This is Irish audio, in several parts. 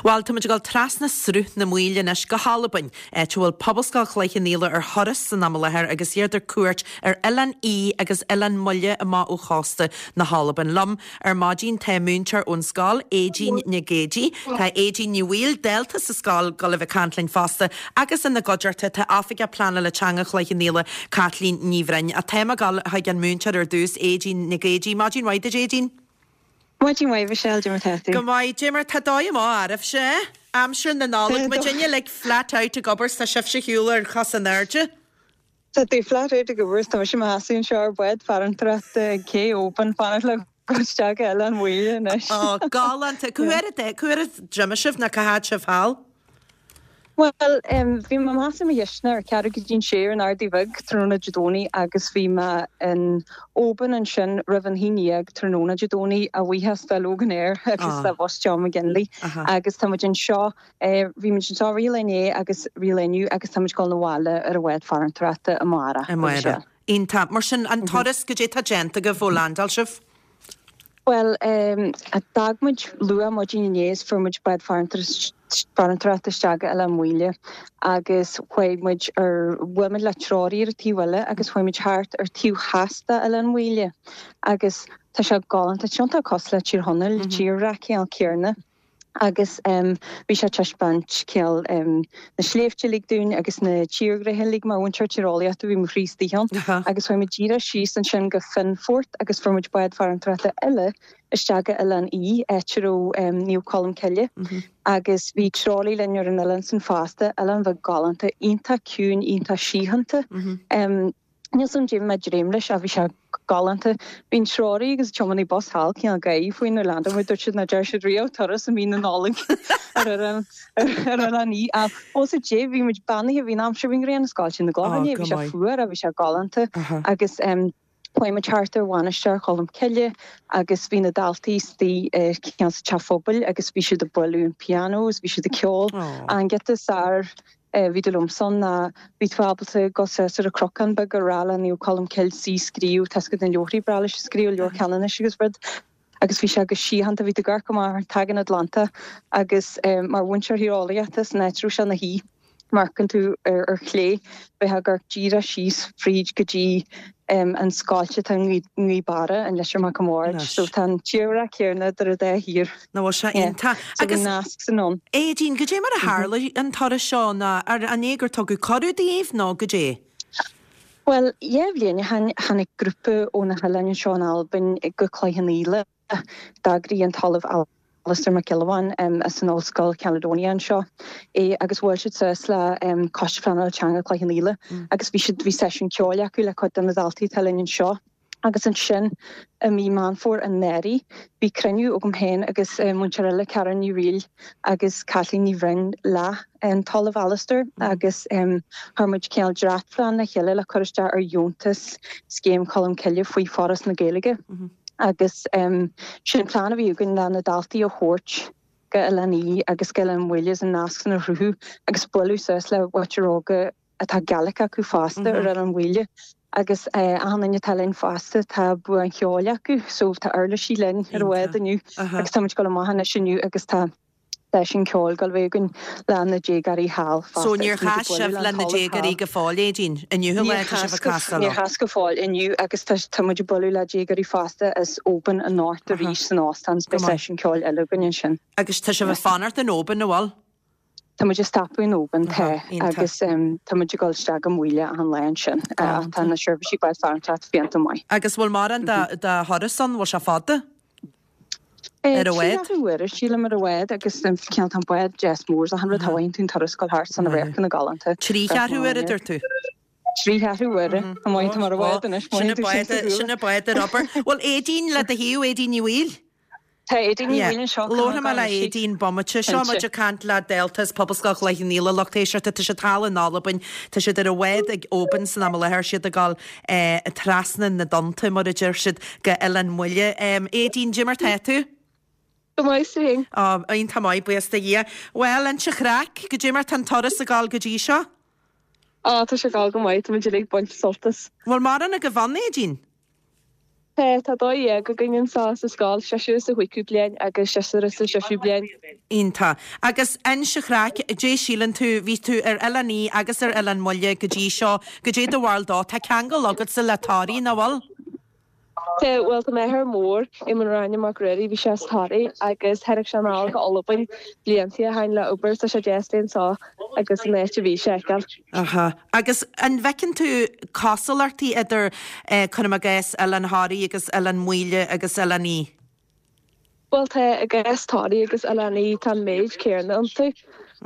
Bhuel, tá muid ag dul trasna Sruth na Maoile anois go hAlbain, áit a bhfuil Pobalscoil Chloich Cheann Fhaola ar thuras san am i láthair agus iad ar cuairt ar Oileán Í agus Oileán Muile amach ó chósta na hAlban. Liom ar maidin tá múinteoir ón scoil, Aedín Nic Géidigh. Tá Aedín Ní Bhaoill, dalta sa scoil, ag dul a bheith ag caint linn fosta agus ina gcuideachta tá Oifigeach Pleanála Teanga Chloich Cheann Fhaola, Caitlín Ní Bhroin. Ach táim ag dul chuig an múinteoir ar dtús, Aedín Nic Géidigh. Maidin mhaith duit, Aedín. Maidin mhaith, Michelle, cad é mar tá tú? Go maith, cad é mar tá dóigh amach oraibhse, eh? Aimsir na Nollag, muidinne uilig flat out ag obair 's tá sibhse ar shiúl ar chos in airde. Tá tú flat out ag obair 's tá mise i mo sheasamh anseo ar bhád farantóireachta ag cé Oban, fanacht le dul isteach go Oileán Mhaoile anois. Ó, galánta. Cá huair a, cá huair a d'imigh sibh nó cá fhad sibh thall? Bhuel, bhí mé i mo sheasamh i mo chistin ar ceathrú go dtí an sé ar an Ardaidh Bheag tráthnóna Dé Domhnaigh agus bhí mé in Oban ansin roimh an haon dhéag tráthnóna Dé Domhnaigh, a bhuíochas do Loganair agus do bhus John McGinley agus tá muid anseo, bhí muid anseo rith an lae inné agus rith an lae inniu agus tá muid ag dul 'na bhaile ar an bhád farantóireachta amárach. Amárach. Iontach. Mar sin, an turas, goidé tá déanta agaibh ó landáil sibh? Bhuel, d'fhág muid luath maidin inné is fuair muid bád farantóireachta isteach go Oileán Mhaoile agus chuaigh muid ar, bhuail muid le treoraí ar an taobh eile agus chuaigh muid thart ar taobh theas de Oileán Mhaoile agus tá sé galánta, tá sé iontach cosúil le Tír Chonaill, tírdhreach cineál céarna. Agus bhí sé ag taispeáint cineál na sléibhte uilig dúinn agus na tírdhreacha uilig. Mar mhúinteoir tíreolaíochta bhí mo chroí istigh ann. Agus chuaigh muid díreach síos ansin go Fionnphort agus fuair muid bád farantóireachta eile isteach go Oileán Í, áit a raibh Naomh Colm Cille. Agus bhí treoraí linn ar an oileán san fosta, oileán bheag galánta, iontach ciúin, iontach síochánta. Níl 's a'm cad é bhí mé ag dréim leis ach bhí sé galánta. Bhí an treoraí agus an tiománaí bus thall cineál ag gáirí faoi nuair a landáil muid, dúirt siad nach ndearna siad riamh turas i mí na Nollag ar Oileán Í ach ó sa dé bhí muid beannaithe, bhí an aimsir, bhí an ghrian ag scoilteadh na gcloch inné, bhí sé fuar ach bhí sé galánta agus chuaigh muid thart ar Mhainistir Cholm Cille agus bhí na daltaí istigh cineál sa teach phobail agus bhí siad ag bualadh an pianó agus bhí siad ag ceol. An giota is fearr bhí dul liomsa ann ná bhí tú ábalta dul suas ar an cnocán beag ag rá le Naomh Colm Cille is í scríobh, tá 's agat na leabharthaí breá leis ag scríobh, Leabhar Ceanannais agus rud agus bhí sé go síochánta, bhí tú ag amharc amach ar an tSagan Atlantach agus mar mhúinteoir tíreolaíochta san áit a raibh sé ina shuí, má amharcann tú ar chlé, bheifeá ag amharc díreach síos fríd go dtí an scoilt atá i nGaoth Beara, an Leitir Mac an Bhaird. So tá an tírdhreach céanna idir an dá thír. Nach bhfuil sé iontach. So bhí nasc san ann. Aedín, goidé mar a tharla an turas seo nó an é gur tugadh cuireadh daoibh nó goidé? Bhuel, dhá bhliain ó shin tháinig grúpa ó na hoileáin anseo in Albain go Cloich Cheann Fhaola. D'eagraigh an tOllamh Alasdair Mac Giolla Bháin as an Ollscoil Caledonia anseo é agus bhuail siad suas le Coiste Pleanála Teanga Chloich Cheann Fhaola agus bhí siad, bhí seisiún ceoil acu le cuid de na daltaí atá linn anseo. Agus ansin i mí Meán Fómhair anuraidh bhí cruinniú agam féin agus múinteoir eile, Karen Ní Fhrighil agus Caitlín Ní Bhroin le an tOllamh Alasdair agus chuir muid cineál dréachtphlean le chéile le cur isteach ar dheontas Scéim Cholm Cille faoi Foras na Gaeilge. Agus sin plean a bhí againn le na daltaí a thabhairt go Oileán Í agus go Oileán Mhaoile agus an nasc san a chruthú agus bualadh suas le muintir óga atá Gaelic acu fosta ar Oileán Mhaoile agus achan duine atá linn fosta tá bua an cheoil acu so tá uirlisí linn ar an bhád inniu agus tá muid ag dul amach anois inniu agus tá seisiún ceoil ag dul a bheith againn le na déagóirí thall fosta. So níor chas sibh le na déagóirí go fóill, Aedín? Inniu an lá atá sibh ag castáil leo? Níor chas go fóill, inniu agus tá muid ag bualadh le déagóirí fosta as Oban anocht arís san óstán is beidh seisiún ceoil eile againn ansin. Agus tá sibh ag fanacht in Oban, an bhfuil? Tá muid ag stopadh in Oban, tá, agus tá muid ag dul isteach go Maoile achan lá ansin. Ach tá na seirbhísí báid farantóireachta fiánta maith. Agus bhfuil mórán de thuras ann? Bhfuil sé fada? Ar an bhád? Trí cheathrú uaire, sílim, ar an bhád agus cineál tá an bád deas mór is achan rud tá tú an turas ag dul thart san radharcanna galánta. Trí cheathrú uaire, a dúirt tú? Trí cheathrú uaire. Tá maith, tá mar an bhád anois, Sin an bád ar obair. Bhfuil Aedín le do thaobh, Aedín Ní Bhaoill? Tá Aedín Ní Bhaoill anseo. Labharfaidh mé le Aedín bomaite. Seo muid ag caint le dalta as Pobalscoil Chloich Cheann Fhaola, lucht éisteachta. Tá siad thall in Albain. Tá siad ar an bhád ag Oban san am i láthair. Siad ag dul trasna na dtonnta, mar a deir siad, go Oileán Mhaoile. Aedín, cad é mar tá tú? Go maith, is tú féin? Ó, iontach maith, buíochas do Dhia. Bhuel, inis an chraic, cad é mar tá an turas ag dul go dtí seo? Á, tá sé ag dul go maith, tá muid uilig ag baint sult as. Bhfuil mórán agaibh ann, Aedín? Tá, tá 12 againn anseo sa scoil, seisear sa chúigiú bliain agus seisear sa séú bliain. Iontach. Agus inis an chraic, goidé síleann tú, bhí tú ar Oileán Í agus ar Oileán Mhuile go dtí seo, goidé do bharúil dó? Tá ceangal agatsa le Toraigh, nach bhfuil? Tá, bhuel tá m'athair mór, Éamonn Ráinne Mac Ruairí, bhí sé as Toraigh agus tháinig sé anall go Albain blianta ó shin le obair, tá sé deas bheith anseo agus an áit a bhí sé a fheiceáil. Aha. Agus an bhfeiceann tú cosúlachtaí idir, cuirim i gcás, Oileán Thoraí agus Oileán Maoile agus Oileán Í? Bhuel tá, i gcás Thoraí agus Oileán Í tá an méid céanna iontu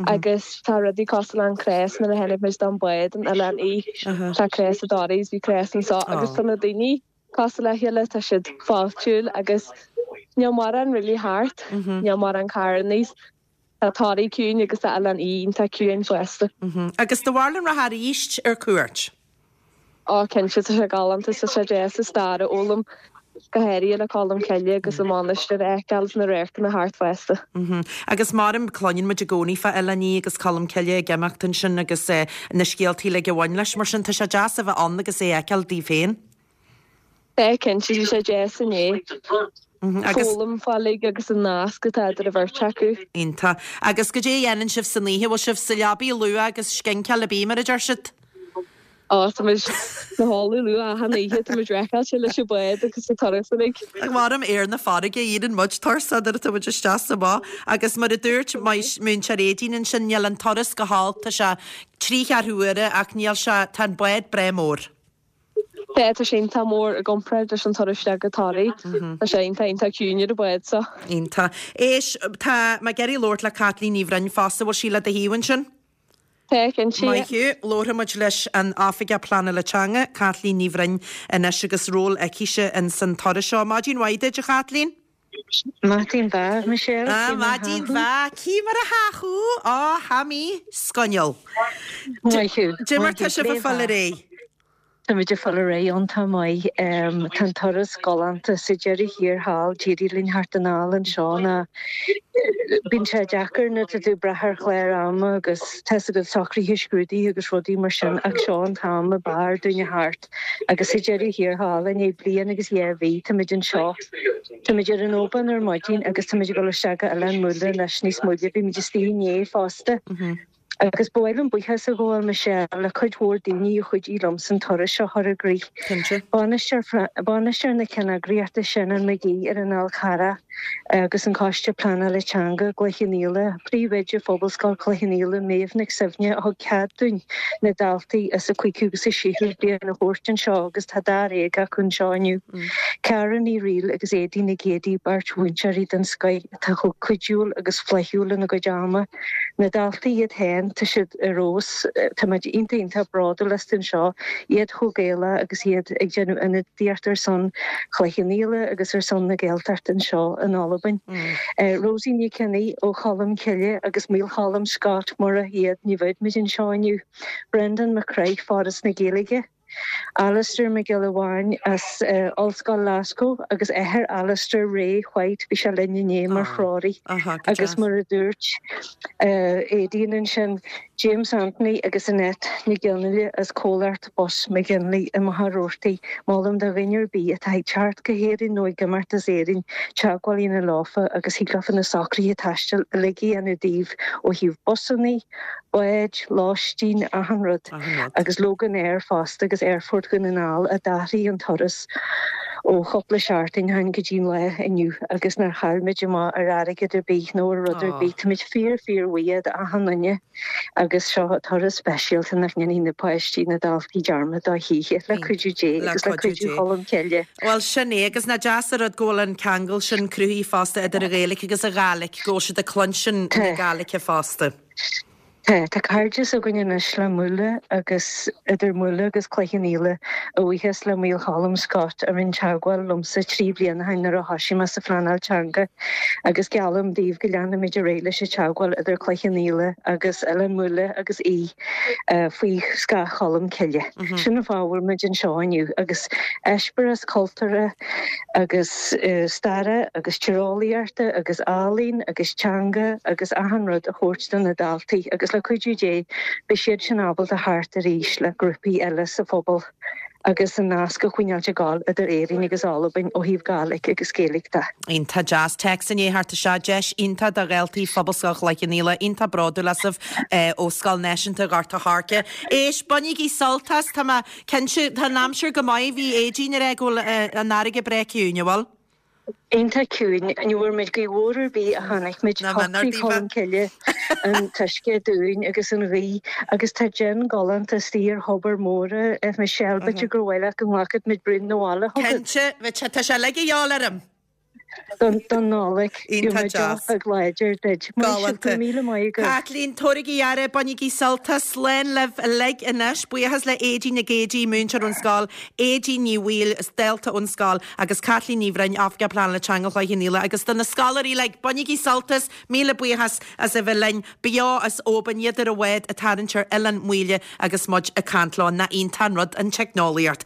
agus tá rudaí cosúil le an cros nuair a tháinig muid don bád in Oileán Í tá cros i dToraí is bhí cros anseo agus tá na daoine cosúil le chéile, tá siad fáiltiúil agus níl mórán really thart, níl mórán carrannaí. Tá Toraigh ciúin agus tá Oileán Í iontach ciúin fosta. Agus do bharúil an rachfá arís ar cuairt? Ó cinnte, tá sé galánta, tá sé deas an stair a fhoghlaim, go háirithe le Colm Cille agus an mhainistir a fheiceáil is na radharcanna thart fosta. Agus maram, cluineann muid i gcónaí fá Oileán Í agus Colm Cille ag imeacht ansin agus na scéaltaí uilig a bhain leis, mar sin tá sé deas a bheith ann agus é a fheiceáil daoibh féin. Tá, cinnte, bhí sé deas inné. Foghlaim fá uilig agus an nasc atá idir an bheirt acu. Iontach. Agus goidé a dhéanann sibh san oíche? Bhfuil sibh sa leabaidh luath agus scinceáil ab í mar a deir siad? Á, tá muid 'na chodladh luath achan oíche, tá muid racáilte leis an bhád agus an turas uilig. Maram ar na farraige, éiríonn muid tuirseach nuair atá muid isteach is amach. Agus mar a dúirt Múinteoir Aedín ansin, níl an turas go holc, tá sé trí cheathrú uaire ach níl sé, tá an bád breá mór. Tá, tá sé iontach mór i gcomparáid leis an turas isteach go Toraigh. Tá sé iontach, iontach ciúin ar an bhád so. Iontach. Éist, tá mé ag iarraidh labhairt le Caitlín Ní Bhroin fosta, bhfuil sí le do thaobh ansin? Tá, cinnte. Maith thú. Labharfaidh muid leis an Oifigeach Pleanála Teanga, Caitlín Ní Bhroin, anois agus ról aicise ins an turas seo. Maidin mhaith duit, a Chaitlín. Maidin mhaith, Michelle. Ah, maidin mhaith. Cí mar a thá thú? Á, tha mi sgonnal. Maith thú. Dè mar tá sibh a' fáil ar aghaidh? Táimid ag fáil ar aghaidh iontach maith. Tá an turas galánta. Sa deireadh thiar thall, d'éirigh linn theacht anall anseo ná bíonn sé deacair nuair atá tú ag brath ar chlár ama agus tá's agat socruithe scrúduithe agus rudaí mar sin ach seo an t-am ab fhearr dúinn a theacht agus sa deireadh thiar thall i ndiaidh bliain agus dhá mhí táimid anseo. Táimid ar an Oban ar maidin agus táimid ag dul isteach go Oileán Mhuile anois níos moille. Bhí muid istigh inné fosta. Agus ba mhaith liom buíochas a ghabháil, Michelle, le cuid mhór daoine a chuidigh liomsa an turas seo a chur i gcrích. Bainisteoir, bainisteoir na ceanneagraíochta Senan McGee ar an Fhál Carrach agus an Coiste Pleanála Teanga, Cloich Cheann Fhaola, Príomhoide Phobalscoil Chloich Cheann Fhaola, Méabh Nic Suibhne a thug cead dúinn na daltaí as an cúigiú agus an séú bliain a thabhairt anseo agus tá dáréag acu anseo inniu. Cara Ní Fhrighil agus Éadaoin Nic Géadaigh, beirt mhúinteoirí den scoith atá chomh cuidiúil agus flaithiúil lena gcuid ama. Na daltaí iad féin, tá siad ar fheabhas, tá muid iontach iontach bródúil astu anseo, iad chomh Gaelach agus iad ag déanamh ionadaíocht ar son Chloich Cheann Fhaola agus ar son na Gaeltachta anseo in Albain. Rosie Nic Cionnaith ó Cholm Cille agus Maolcholm Scott, murach iad ní bheadh muid anseo inniu. Brendan Mac Craith, Foras na Gaeilge. Alistair Mac Giolla Bháin as Ollscoil Glasgow agus athair Alistair, Ray White, bhí sé linn inné mar threoraí agus mar a dúirt Aedín ansin, James Anthony agus Annette Nic Fhionnghaile as comhlacht Bus McGinley i Machaire Rabhartaigh. Molaim do dhuine ar bith atá ag teacht go hÉirinn nó ag imeacht as Éirinn teagmháil a dhéanamh leofa agus thig leofa na socruithe taistil uilig a dhéanamh daoibh ó thaobh busannaí, báid, lóistín, achan rud. Agus Loganair fosta agus Aerfort Dhún na nGall a d'athraigh an turas ó chúpla seachtain ó shin go dtí an lá inniu agus nár chaill muid amach ar airgead ar bith nó ar rud ar bith. Táimid fíor fíor bhuíoch d'achan duine agus seo turas speisialta nach ndéanfaidh na páistí, na daltaí dearmad dó choíche, le cuidiú Dé agus le cuidiú Cholm Cille. Bhuel sin é agus nach deas an rud go bhfuil an ceangal sin cruthaithe fosta idir an Ghaeilge agus an Ghàidhlig, go bhfuil siad ag cluinstin na Gàidhlige fosta. Tá. Tá cairdeas againn anois le Muile agus idir Muile agus Cloich Cheann Fhaola, a bhuíochas le Maolcholm Scott a rinne teagmháil liomsa 3 bliana ó shin nuair a thosaigh mé sa phleanáil teanga agus geallaim daoibh go leanfaimid ar aghaidh leis an teagmháil idir Cloich Cheann Fhaola agus Oileán Mhuile agus Í faoi scáth Cholm Cille. Sin an fáth a bhfuil muid anseo inniu agus eispéireas cultúrtha agus staire agus tíreolaíochta agus ealaín agus teanga agus achan rud a thabhairt do na daltaí agus. agus le cuidiú Dé beidh siad sin ábalta theacht arís le grúpaí eile sa phobal agus an nasc a choinneáilt ag gabháil idir Éirinn agus Albain ó thaobh Gàidhlig agus Gaeilge de. Iontach deas. Téacs i ndiaidh theacht isteach. Deis iontach do dhaltaí Phobalscoil Chloich Cheann Fhaola. Iontach bródúil asaibh ó Scoil Náisiúnta Ghort a' Choirce. Éist, bainigí sult as. Tá mé cinnte, tá an aimsir go maith. Bhí Aedín ag rá go bhfuil an fharraige breá ciúin, an bhfuil? Iontach ciúin. Ní bhfuair muid gaoth mhór ar bith a chonaic muid. Shocraigh Colm Cille an t-uisce dúinn agus an ghaoth agus tá díon galánta istigh ar thobar mór a Michelle. B'fhéidir gur mhaith leat go nglacfadh muid braon 'na bhaile chugat. Cinnte, tá sé uilig a dhíobháil orm. Don Nollaig. Iontach deas. Deoch beag láidir duit. Maith sibh, go raibh míle maith agaibh. Caitlín, tabhairigí aire, bainigí sult as. Slán libh uilig anois. Buíochas le Aedín Nic Géidigh, múinteoir ón scoil, Aedín Ní Bhaoill, dalta ón scoil, agus Caitlín Ní Bhroin, Oifigeach Pleanála Teanga Chloich Cheann Fhaola. Agus do na scoláirí uilig, bainigí sult as. Míle buíochas as a bheith linn beo as Oban, iad ar an bhád ag tarraingt ar Oileán Maoile agus muid ag caint leo. Nach iontach an rud an teicneolaíocht.